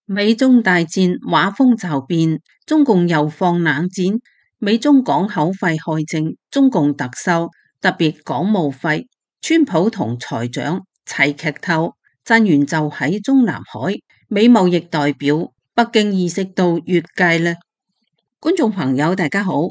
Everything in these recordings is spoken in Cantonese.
美中大戰畫風驟變，中共又放冷箭，美中港口費害症，中共特首特別港務費，川普同財長齊劇透，震源就喺中南海，美貿易代表北京意識到越界啦。觀眾朋友大家好，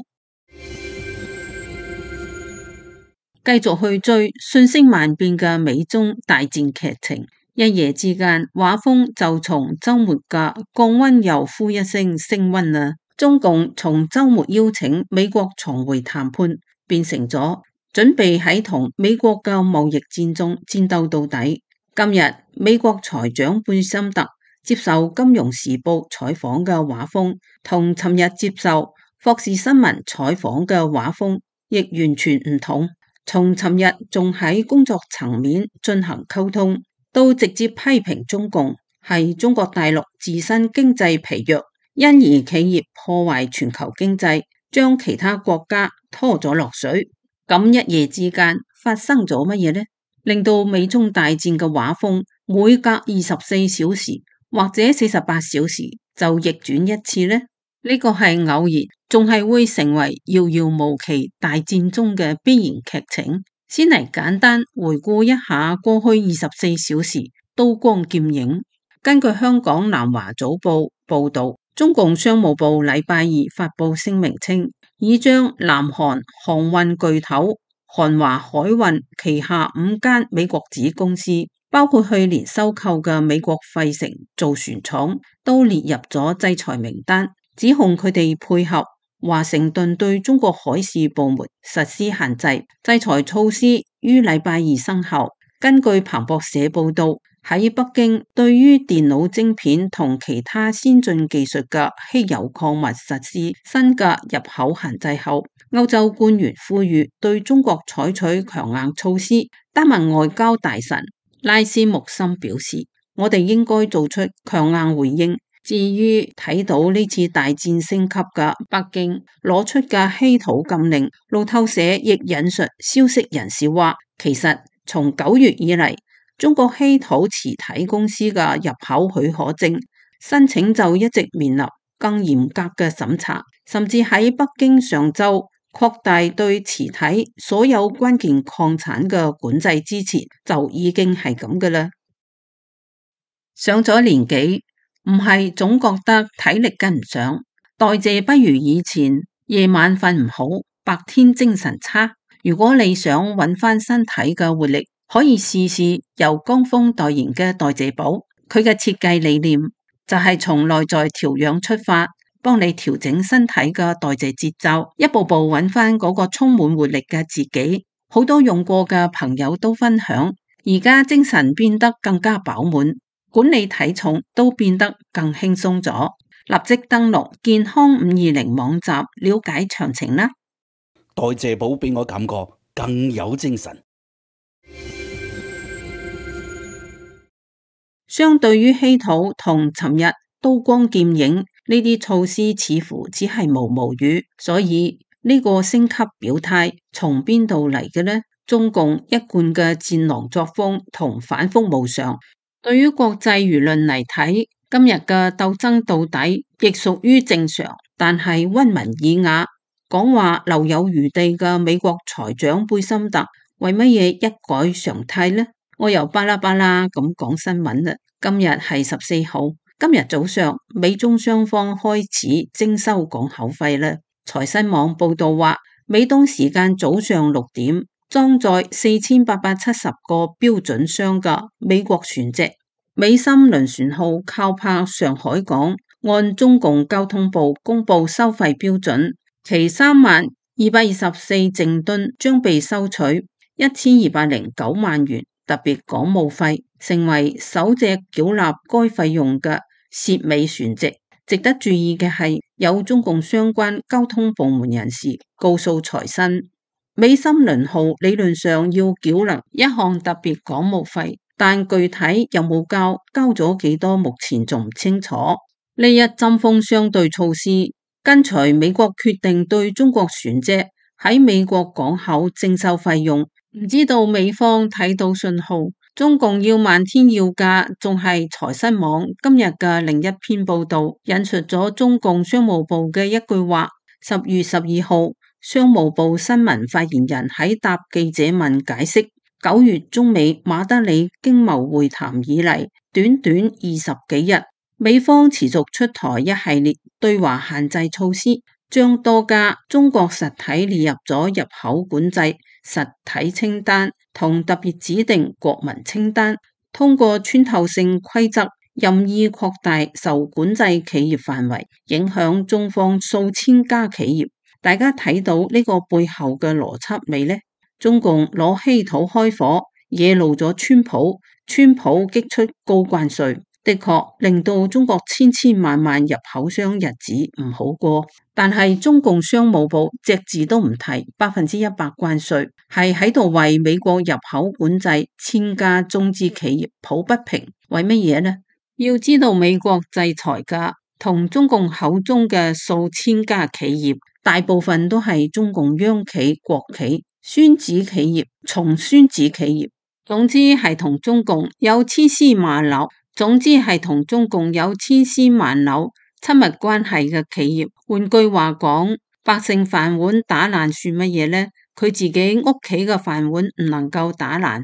繼續去追瞬息萬變嘅美中大戰劇情。一夜之間，畫風就從周末嘅降溫又呼一聲升溫啦。中共從周末邀請美國重回談判，變成咗準備喺同美國嘅貿易戰中戰鬥到底。今日美國財長貝森特接受《金融時報》採訪嘅畫風，同尋日接受霍士新聞採訪嘅畫風亦完全唔同。從尋日仲喺工作層面進行溝通，都直接批評中共係中國大陸自身經濟疲弱，因而企業破壞全球經濟，將其他國家拖咗落水。咁一夜之間發生咗乜嘢呢？令到美中大戰嘅畫風每隔24小時或者48小時就逆轉一次呢？呢個係偶然，仲係會成為遙遙無期大戰中嘅必然劇情。先嚟簡單回顧一下過去24小時刀光劍影。根據香港南華早報報道，中共商務部禮拜二發布聲明稱，已將南韓航運巨頭韓華海運旗下5間美國子公司，包括去年收購嘅美國費城造船廠，都列入咗制裁名單，指控佢哋配合華盛頓對中國海事部門實施限制。制裁措施於禮拜二生效。根據彭博社報道，喺北京對於電腦晶片同其他先進技術嘅稀有礦物實施新嘅入口限制後，歐洲官員呼籲對中國採取強硬措施。丹麥外交大臣拉斯穆森表示，我哋應該做出強硬回應。至於睇到呢次大戰升級嘅北京攞出嘅稀土禁令，路透社亦引述消息人士話，其實從9月以嚟，中國稀土磁體公司嘅入口許可證申請就一直面臨更嚴格嘅審查，甚至喺北京上週擴大對磁體所有關鍵礦產嘅管制之前，就已經係咁嘅啦。上咗年紀，唔係總覺得體力跟唔上，代謝不如以前，夜晚瞓唔好，白天精神差。如果你想揾翻身體嘅活力，可以試試由江峰代言嘅代謝寶。佢嘅設計理念就係從內在調養出發，幫你調整身體嘅代謝節奏，一步步揾翻嗰個充滿活力嘅自己。好多用過嘅朋友都分享，而家精神變得更加飽滿，管理體重都變得更輕鬆咗。立即登錄健康520網站了解詳情啦。代謝寶俾我感覺更有精神。相對於稀土同尋日刀光劍影呢啲措施，似乎只係毛毛雨，所以呢個升級表態從邊度嚟嘅呢？中共一貫嘅戰狼作風同反覆無常，對於國際輿論嚟睇，今日嘅鬥爭到底亦屬於正常，但係溫文爾雅講話留有餘地嘅美國財長貝森特為乜嘢一改常態呢？我又巴拉巴拉咁講新聞啦。今日係14號，今日早上美中雙方開始徵收港口費啦。財新網報道話，美東時間早上6點，裝載4870個標準箱嘅美國船隻美心輪船號靠泊上海港，按中共交通部公布收費標準，其32224淨噸將被收取1209萬元特別港務費，成為首隻繳納該費用嘅涉美船隻。值得注意嘅係，有中共相關交通部門人士告訴財新，美心輪號理論上要繳納一項特別港務費，但具體有冇交咗幾多，目前仲唔清楚。呢一針鋒相對措施，跟隨美國決定對中國船隻喺美國港口徵收費用，唔知道美方睇到信號，中共要漫天要價，仲係財新網今日嘅另一篇報道，引述咗中共商務部嘅一句話。10月12號，商務部新聞發言人喺答記者問解釋，9月中美馬德里經貿會談以嚟，短短20幾日，美方持續出台一系列對華限制措施，將多家中國實體列入咗入口管制實體清單同特別指定國民清單，通過穿透性規則任意擴大受管制企業範圍，影響中方數千家企業。大家睇到呢個背後嘅邏輯未呢？中共攞稀土開火，惹怒咗川普，川普激出高關稅，的確令到中國千千萬萬入口商日子唔好過。但係中共商務部隻字都唔提100%關稅，係喺度為美國入口管制千家中資企業抱不平。為乜嘢呢？要知道美國制裁嘅同中共口中嘅數千家企業，大部分都係中共央企、國企、孫子企業、重孫子企業，總之係同中共有千絲萬縷親密關係嘅企業。換句話講，百姓飯碗打爛算乜嘢呢？佢自己屋企嘅飯碗唔能夠打爛。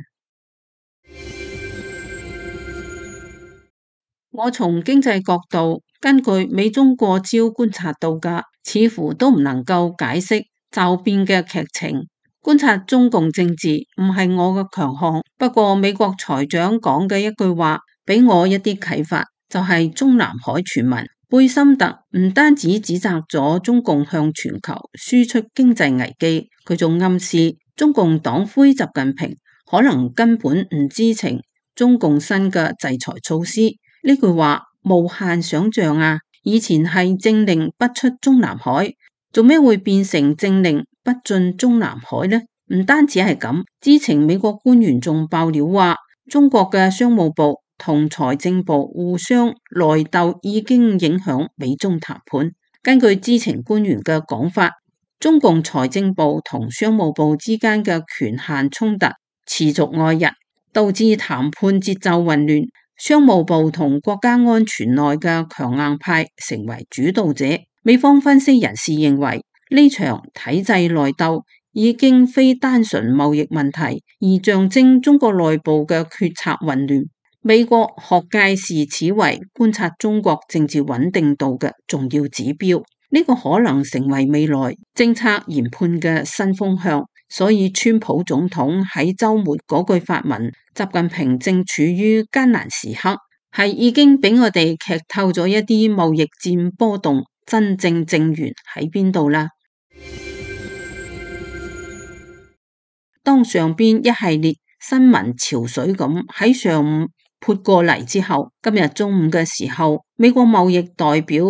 我從經濟角度，根據美中過招觀察到嘅，似乎都唔能夠解釋驟變嘅劇情。觀察中共政治唔係我嘅強項，不過美國財長講嘅一句話俾我一啲啟發，就係中南海傳聞。貝森特唔單止指責咗中共向全球輸出經濟危機，佢仲暗示中共黨魁習近平可能根本唔知情中共新嘅制裁措施。呢句話無限想象啊！以前係政令不出中南海，做咩會變成政令不進中南海呢？唔單止係咁，知情美國官員仲爆料話，中國嘅商務部同財政部互相內鬥已經影響美中談判。根據知情官員嘅講法，中共財政部同商務部之間嘅權限衝突持續愛日，導致談判節奏混亂。商務部同國家安全內嘅強硬派成為主導者。美方分析人士認為，呢場體制內鬥已經非單純貿易問題，而象徵中國內部嘅決策混亂。美國學界視此為觀察中國政治穩定度嘅重要指標，呢個可能成為未來政策研判嘅新風向。所以川普總統喺週末嗰句發文，習近平正處於艱難時刻，係已經俾我哋劇透咗一啲貿易戰波動真正正源喺邊度啦。當上邊一系列新聞潮水咁喺上午潑過嚟之後，今日中午嘅時候，美國貿易代表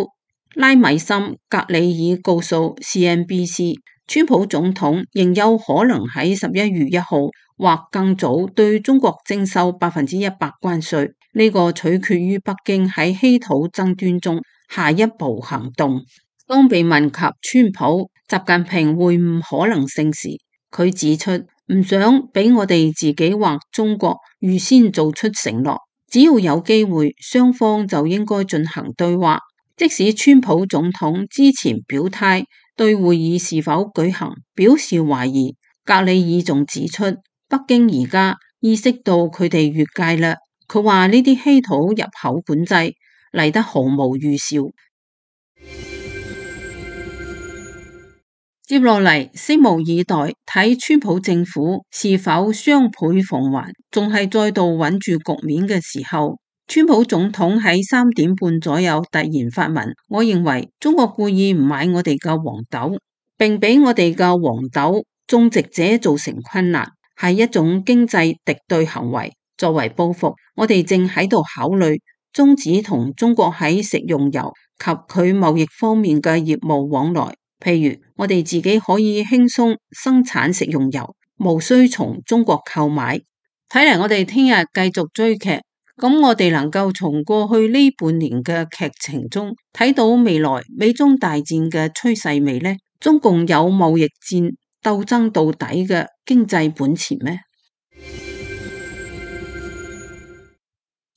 拉米森格里爾告訴 CNBC，川普總統仍有可能喺11月1號或更早對中國徵收100%關稅，呢個取決於北京喺稀土爭端中下一步行動。當被問及川普、習近平會唔可能性時，佢指出唔想俾我哋自己或中國預先做出承諾，只要有機會，雙方就應該進行對話。即使川普總統之前表態對會議是否舉行表示懷疑，格里爾仲指出，北京而家意識到佢哋越界啦。佢話呢啲稀土入口管制嚟得毫無預兆。接落嚟，拭目以待，睇川普政府是否雙倍奉還，仲係再度穩住局面嘅時候。川普總統喺3點半左右突然發文，我認為中國故意唔買我哋嘅黃豆，並俾我哋嘅黃豆種植者造成困難，係一種經濟敵對行為。作為報復，我哋正喺度考慮終止同中國喺食用油及佢貿易方面嘅業務往來。譬如我哋自己可以輕鬆生產食用油，無需從中國購買。睇嚟我哋聽日繼續追劇。咁我哋能夠從過去呢半年嘅劇情中睇到未來美中大戰嘅趨勢未呢？中共有貿易戰鬥爭到底嘅經濟本錢咩？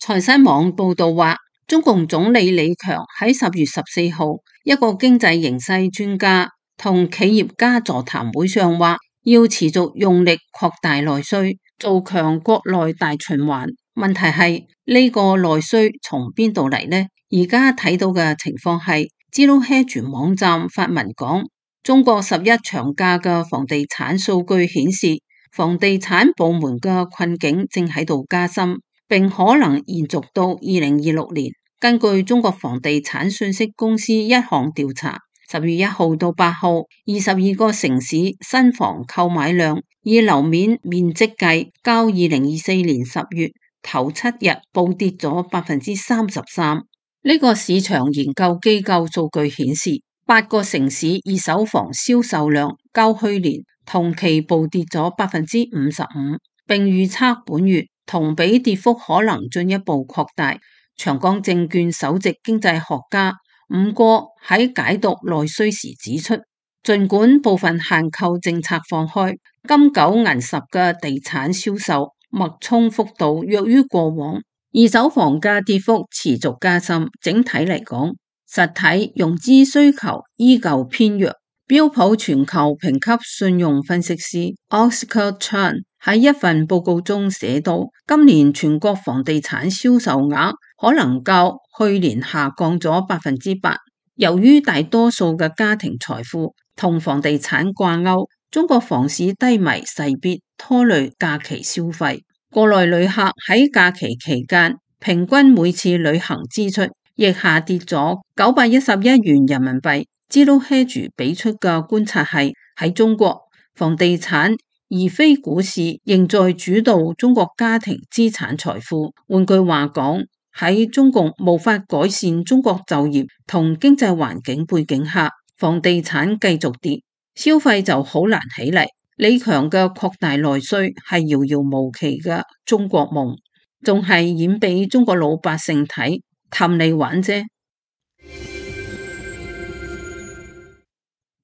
財新網報道話，中共總理李強喺10月14號一個經濟形勢專家同企業家座談會上話，要持續用力擴大內需，做強國內大循環。問題係呢個內需從邊度嚟呢？而家睇到嘅情況係，Zero Hedge網站發文講，中國11長假嘅房地產數據顯示，房地產部門嘅困境正喺度加深，並可能延續到2026年。根據中國房地產信息公司一項調查，10月1號到8號，22個城市新房購買量以樓面面積計，較2024年10月頭7日暴跌咗33%。呢個市場研究機構數據顯示，8個城市二手房銷售量較去年同期暴跌咗55%，並預測本月同比跌幅可能進一步擴大。長江證券首席經濟學家伍過喺解讀內需時指出，儘管部分限購政策放開，金九銀十嘅地產銷售脈衝幅度弱於過往，二手房價跌幅持續加深。整體嚟講，實體融資需求依舊偏弱。標普全球評級信用分析師 Oscar Chan 喺一份報告中寫到，今年全國房地產銷售額可能較去年下降咗8%。由於大多數嘅家庭財富同房地產掛鈎，中國房市低迷勢必拖累假期消費。國內旅客喺假期期間平均每次旅行支出亦下跌咗911元人民幣。Zero Hedge 俾出嘅觀察係，喺中國房地產而非股市仍在主導中國家庭資產財富。換句話講，喺中共無法改善中國就業同經濟環境背景下，房地產繼續跌，消費就好難起嚟。李強嘅擴大內需係遙遙無期嘅中國夢，仲係演俾中國老百姓睇，氹你玩啫。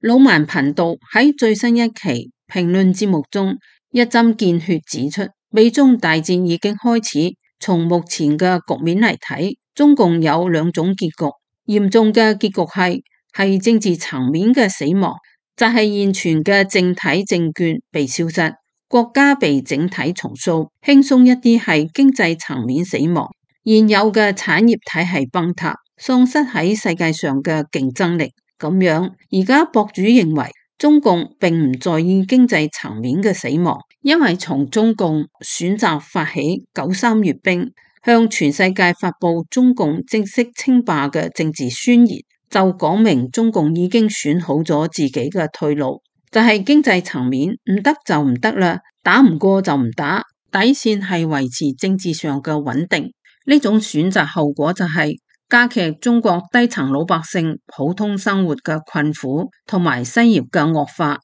老萬頻道喺最新一期評論節目中一針見血指出，美中大戰已經開始。從目前嘅局面嚟睇，中共有兩種結局。嚴重嘅結局係政治層面嘅死亡，就係現存嘅政體政權被消失，國家被整體重塑。輕鬆一啲係經濟層面死亡，現有嘅產業體系崩塌，喪失喺世界上嘅競爭力。咁樣，而家博主認為中共並唔在意經濟層面嘅死亡，因為從中共選擇發起93閱兵，向全世界發布中共正式稱霸嘅政治宣言，就講明中共已經選好咗自己嘅退路，就係經濟層面唔得就唔得啦，打唔過就唔打，底線係維持政治上嘅穩定。呢種選擇後果就係加劇中國低層老百姓普通生活嘅困苦，同埋失業嘅惡化。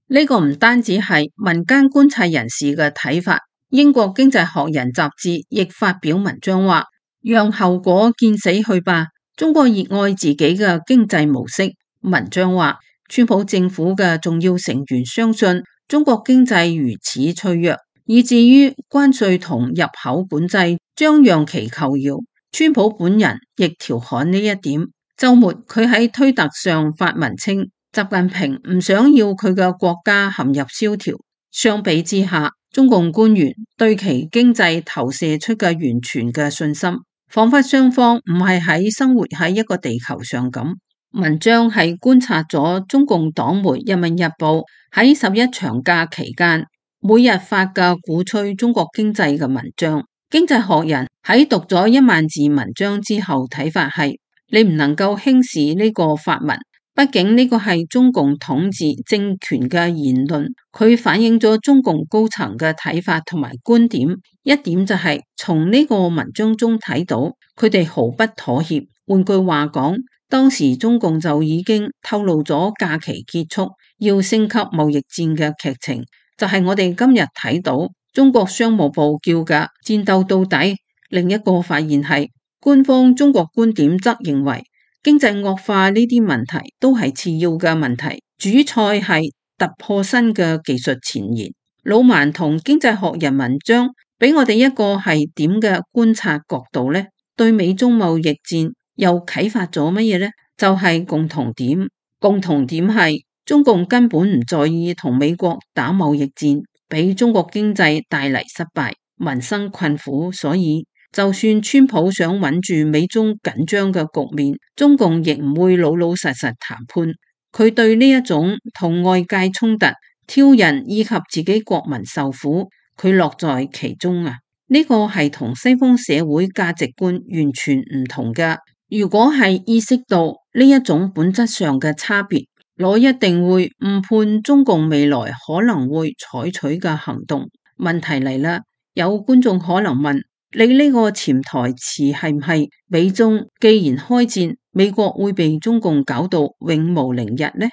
呢個唔單止係民間觀察人士嘅睇法，英國經濟學人雜誌亦發表文章話，讓後果見死去吧，中國熱愛自己嘅經濟模式。文章話，川普政府嘅重要成員相信中國經濟如此脆弱，以至於關稅同入口管制將讓其求饒。川普本人亦調侃呢一點。週末佢喺推特上發文稱，習近平唔想要佢嘅國家陷入蕭條。相比之下，中共官員對其經濟投射出嘅完全嘅信心，彷彿雙方唔係喺生活喺一個地球上咁。文章係觀察咗中共黨媒《人民日報》喺11長假期間每日發嘅鼓吹中國經濟嘅文章。經濟學人喺讀咗1萬字文章之後睇法係，你唔能夠輕視呢個發文，畢竟呢個係中共統治政權嘅言論，佢反映咗中共高層嘅睇法同埋觀點。一點就係從呢個文章中睇到，佢哋毫不妥協。換句話講，當時中共就已經透露咗假期結束要升級貿易戰嘅劇情，就係我哋今日睇到中國商務部叫嘅戰鬥到底。另一個發現係，官方中國觀點則認為經濟惡化呢啲問題都係次要嘅問題，主菜係突破新嘅技術前沿。老萬同經濟學人文章俾我哋一個係點嘅觀察角度呢？對美中貿易戰又啟發咗乜嘢呢？就係共同點，共同點係中共根本唔在意同美國打貿易戰，俾中國經濟帶嚟失敗，民生困苦，所以就算川普想穩住美中緊張嘅局面，中共亦唔會老老實實談判。佢對呢一種同外界衝突、挑釁以及自己國民受苦，佢樂在其中啊！呢個係同西方社會價值觀完全唔同嘅。如果係意識到呢一種本質上嘅差別，我一定會誤判中共未來可能會採取嘅行動。問題嚟啦，有觀眾可能問：你呢個潛台詞係唔係美中既然開戰，美國會被中共搞到永無寧日呢？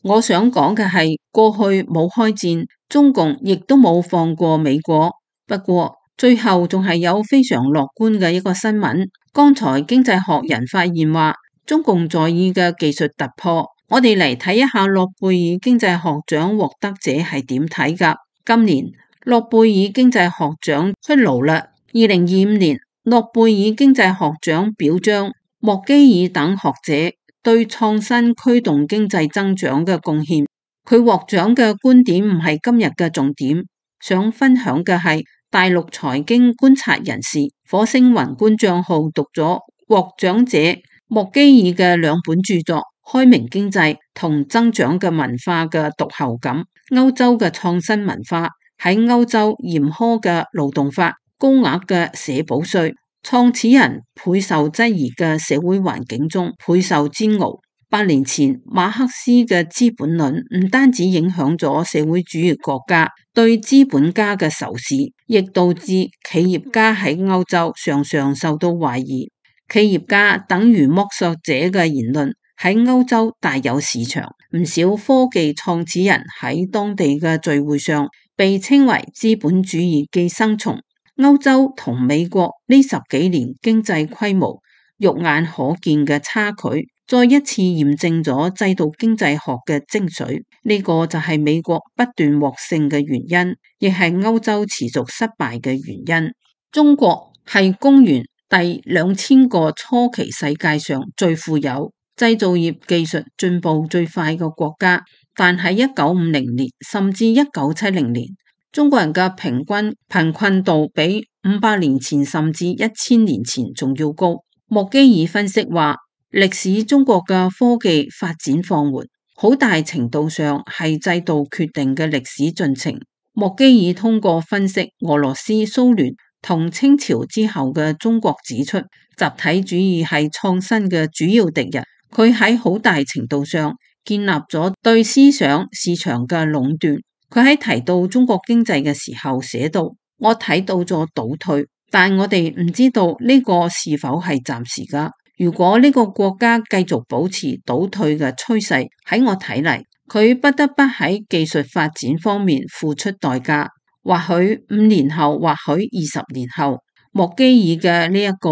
我想講嘅係，過去冇開戰，中共亦都冇放過美國。不過最後仲係有非常樂觀嘅一個新聞。剛才經濟學人發現話，中共在意嘅技術突破。我哋嚟睇一下諾貝爾經濟學獎獲得者係點睇㗎。今年諾貝爾經濟學獎出爐啦。2025年諾貝爾經濟學獎表彰莫基爾等學者對創新驅動經濟增長嘅貢獻。佢獲獎嘅觀點唔係今日嘅重點，想分享嘅係大陸財經觀察人士火星宏觀賬號讀咗獲獎者莫基爾嘅兩本著作《開明經濟》同《增長嘅文化》嘅讀後感。歐洲嘅創新文化喺歐洲嚴苛嘅勞動法、高額嘅社保稅、創始人備受質疑嘅社會環境中備受煎熬。8年前馬克思嘅《資本論》唔單止影響咗社會主義國家對資本家嘅仇視，亦導致企業家喺歐洲常常受到懷疑。企業家等於剝削者嘅言論喺歐洲大有市場，唔少科技創始人喺當地嘅聚會上被稱為資本主義寄生蟲。歐洲同美國呢10幾年經濟規模肉眼可見嘅差距，再一次驗證咗制度經濟學嘅精髓。呢個就係美國不斷獲勝嘅原因，亦係歐洲持續失敗嘅原因。中國係公元第2000個初期世界上最富有、製造業技術進步最快嘅國家，但喺1950年甚至1970年，中國人嘅平均貧困度比500年前甚至1000年前仲要高。莫基爾分析話，歷史中國嘅科技發展放緩，好大程度上係制度決定嘅歷史進程。莫基爾通過分析俄羅斯、蘇聯同清朝之後嘅中國，指出集體主義係創新嘅主要敵人。佢喺好大程度上建立咗對思想市場嘅壟斷。佢喺提到中國經濟嘅時候寫道：我睇到咗倒退，但我哋唔知道呢個是否係暫時㗎。如果呢個國家繼續保持倒退嘅趨勢，喺我睇嚟，佢不得不喺技術發展方面付出代價。或許5年後，或許20年後，莫基爾嘅呢一個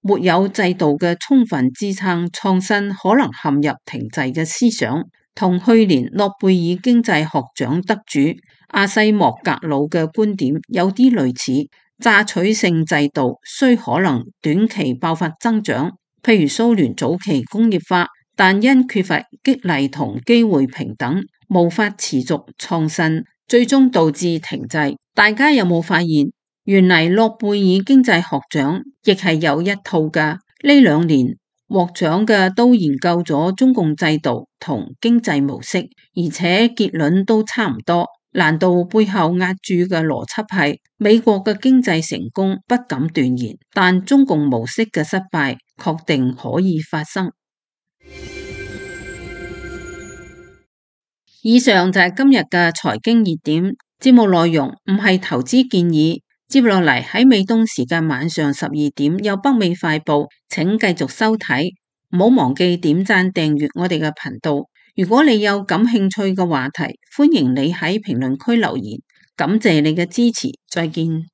沒有制度嘅充分支撐創新，可能陷入停滯嘅思想，同去年諾貝爾經濟學獎得主阿西莫格魯嘅觀點有啲類似。榨取性制度雖可能短期爆發增長，譬如蘇聯早期工業化，但因缺乏激勵同機會平等，無法持續創新，最終導致停滯。大家有冇發現，原嚟諾貝爾經濟學獎亦係有一套㗎？呢2年獲獎嘅都研究咗中共制度同經濟模式，而且結論都差唔多。難道背後壓住嘅邏輯係美國嘅經濟成功不敢斷言，但中共模式嘅失敗確定可以發生？以上就係今日嘅財經熱點。節目內容唔係投資建議。接落嚟喺美東時間晚上12點有北美快報，請繼續收睇。唔好忘記點讚訂閱我哋嘅頻道。如果你有感興趣嘅話題，歡迎你喺評論區留言。感謝你嘅支持，再見。